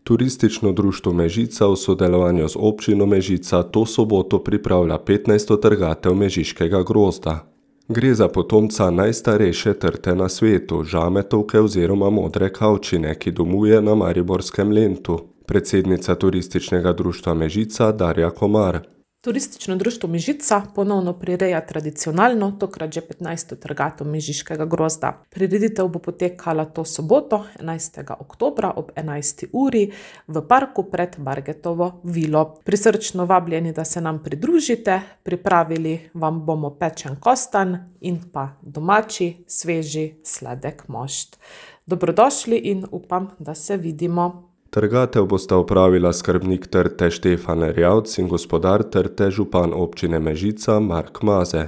Turistično društvo Mežica v sodelovanju z občino Mežica to soboto pripravlja 15. trgatev mežiškega grozda. Gre za potomca najstarejše trte na svetu, žametovke oziroma modre kavčine, ki domuje na mariborskem Lentu. Predsednica Turističnega društva Mežica Darja Komar. Turistično društvo Mežica ponovno prireja tradicionalno, tokrat že 15. trgatev mežiškega grozda. Prireditev bo potekala to soboto, 11. oktobra ob 11. uri v parku pred Bargetovo vilo. Prisrčno vabljeni, da se nam pridružite, pripravili vam bomo pečen kostanj in pa domači, sveži, sladek mošt. Dobrodošli in upam, da se vidimo. Trgatev bosta opravila skrbnik trte Štefan Erjavc in gospodar trte župan občine Mežica Mark Maze.